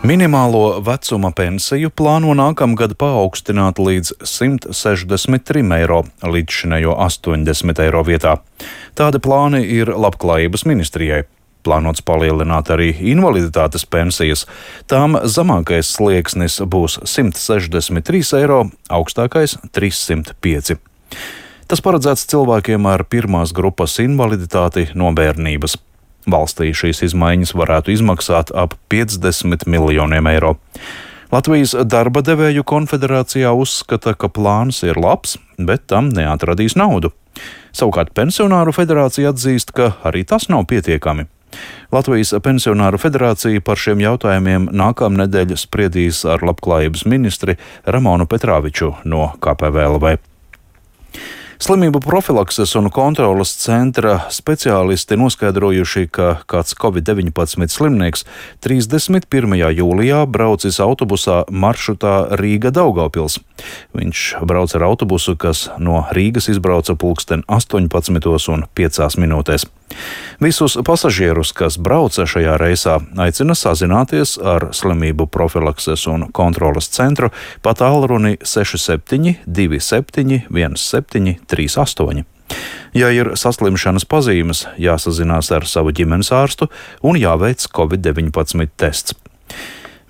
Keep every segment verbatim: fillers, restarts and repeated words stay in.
Minimālo vecuma pensiju plāno nākamgad paaugstināt līdz simt sešdesmit trim eiro, līdzšinējo astoņdesmit eiro vietā. Tādi plāni ir Labklājības ministrijai. Plānots palielināt arī invaliditātes pensijas. Tām zemākais slieksnis būs simt sešdesmit trīs eiro, augstākais trīssimt pieci. Tas paredzēts cilvēkiem ar pirmās grupas invaliditāti no bērnības. Valstī šīs izmaiņas varētu izmaksāt ap piecdesmit miljoniem eiro. Latvijas darba devēju konfederācijā uzskata, ka plāns ir labs, bet tam neatradīs naudu. Savukārt pensionāru federācija atzīst, ka arī tas nav pietiekami. Latvijas pensionāru federācija par šiem jautājumiem nākamnedēļ spriedīs ar Labklājības ministri Ramonu Petrāviču no K P V L V. Slimību profilakses un kontroles centra speciālisti noskaidrojuši, ka kāds covid deviņpadsmit slimnieks trīsdesmit pirmajā jūlijā braucis autobusā maršrutā Rīga–Daugavpils. Viņš brauc ar autobusu, kas no Rīgas izbrauca pulksten astoņpadsmitos un piecās minūtēs. Visus pasažierus, kas brauca šajā reisā, aicina sazināties ar Slimību profilakses un kontroles centru pa tālruni seši septiņi divi septiņi viens septiņi trīs astoņi. Ja ir saslimšanas pazīmes, jāsazinās ar savu ģimenes ārstu un jāveic covid deviņpadsmit tests.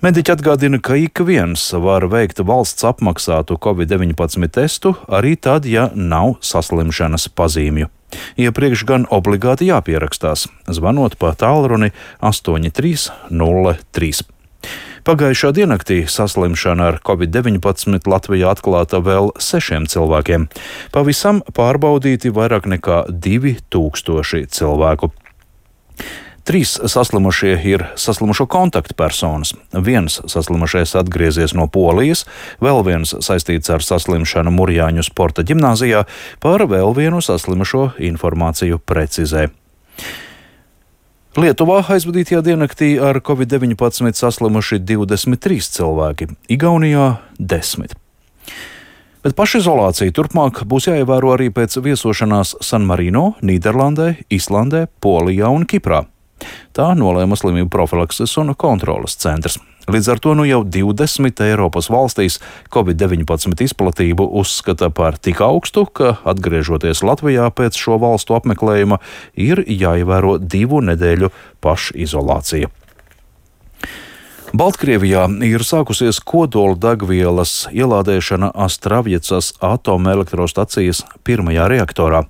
Mediķi atgādina, ka ik viens var veikt valsts apmaksātu covid deviņpadsmit testu arī tad, ja nav saslimšanas pazīmju. Iepriekš gan obligāti jāpierakstās, zvanot pa tālruni astoņi trīs nulle trīs. Pagājušā diennaktī saslimšana ar covid deviņpadsmit Latvijā atklāta vēl sešiem cilvēkiem. Pavisam pārbaudīti vairāk nekā divi tūkstoši cilvēku. Trīs saslimušie ir saslimušo kontaktpersonas. Viens saslimušais atgriezies no Polijas, vēl viens saistīts ar saslimšanu Murjāņu sporta ģimnāzijā, par vēl vienu saslimušo informāciju precizē. Lietuvā aizvadītajā diennaktī ar covid deviņpadsmit saslimuši divdesmit trīs cilvēki, Igaunijā desmit. Bet pašizolācija turpmāk būs jāievēro arī pēc viesošanās San Marino, Nīderlandē, Islandē, Polijā un Kiprā. Tā nolēma Slimību profilakses un kontroles centrs. Līdz ar to nu jau divdesmit Eiropas valstīs covid deviņpadsmit izplatību uzskata par tik augstu, ka, atgriežoties Latvijā pēc šo valstu apmeklējuma, ir jāievēro divu nedēļu pašizolācija. Baltkrievijā ir sākusies kodola degvielas ielādēšana Astravjecas atomelektrostacijas pirmajā reaktorā.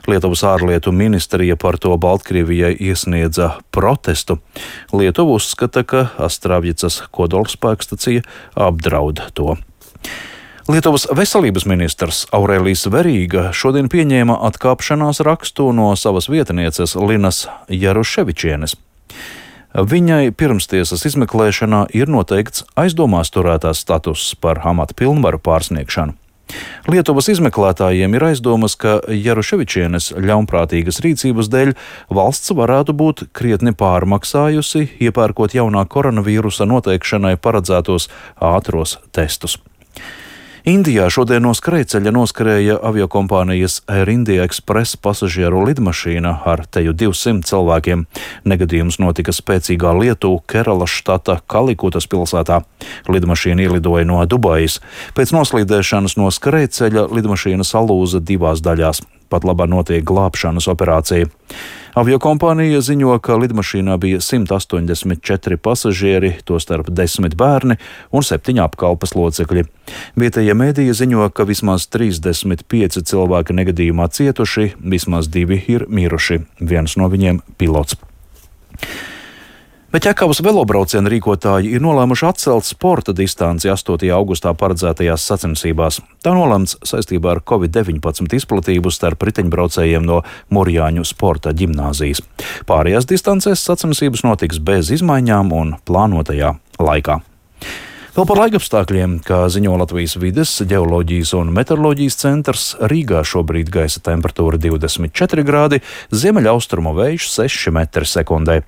Lietuvas ārlietu ministrija par to Baltkrievijai iesniedza protestu. Lietuva uzskata, ka Astravjecas kodolspēkstacija apdraud to. Lietuvas veselības ministrs Aurelijs Verīga šodien pieņēma atkāpšanās rakstu no savas vietnieces Linas Jaruševičienes. Viņai pirmstiesas izmeklēšanā ir noteikts aizdomās turētās status par amata pilnvaru pārsniegšanu. Lietuvas izmeklētājiem ir aizdomas, ka Jaruševičienes ļaunprātīgas rīcības dēļ valsts varētu būt krietni pārmaksājusi, iepērkot jaunā koronavīrusa noteikšanai paredzētos ātros testus. Indijā šodien no skrejceļa noskrēja aviokompānijas Air India Express pasažieru lidmašīna ar teju divsimt cilvēkiem. Negadījums notika spēcīgā lietu Keralas štata Kalikutas pilsētā. Lidmašīna ielidoja no Dubajas. Pēc noslīdēšanas no skrejceļa lidmašīna salūza divās daļās. Pat labā notiek glābšanas operācija. Aviokompānija ziņo, ka lidmašīnā bija simt astoņdesmit četri pasažieri, tostarp desmit bērni un septiņi apkalpes locekļi. Vietējie mēdīji ziņo, ka vismaz trīsdesmit pieci cilvēki negadījumā cietuši, vismaz divi ir miruši, viens no viņiem pilots. Bet Ķekavas velobrauciena rīkotāji ir nolēmuši atcelt sporta distanci astotajā augustā paredzētajās sacensībās. Tā nolēmts saistībā ar covid deviņpadsmit izplatību starp riteņbraucējiem no Murjāņu sporta ģimnāzijas. Pārējās distancēs sacensības notiks bez izmaiņām un plānotajā laikā. Vēl par laikapstākļiem, kā ziņo Latvijas vides, ģeoloģijas un meteoroloģijas centrs, Rīgā šobrīd gaisa temperatūra divdesmit četri grādi, ziemeļaustrumu vējš seši metri sekundē.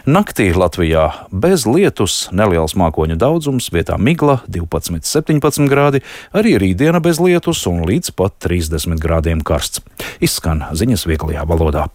Naktī Latvijā bez lietus, neliels mākoņu daudzums, vietā migla divpadsmit septiņpadsmit grādi, arī rītdiena bez lietus un līdz pat trīsdesmit grādiem karsts. Izskan ziņas vieglajā valodā.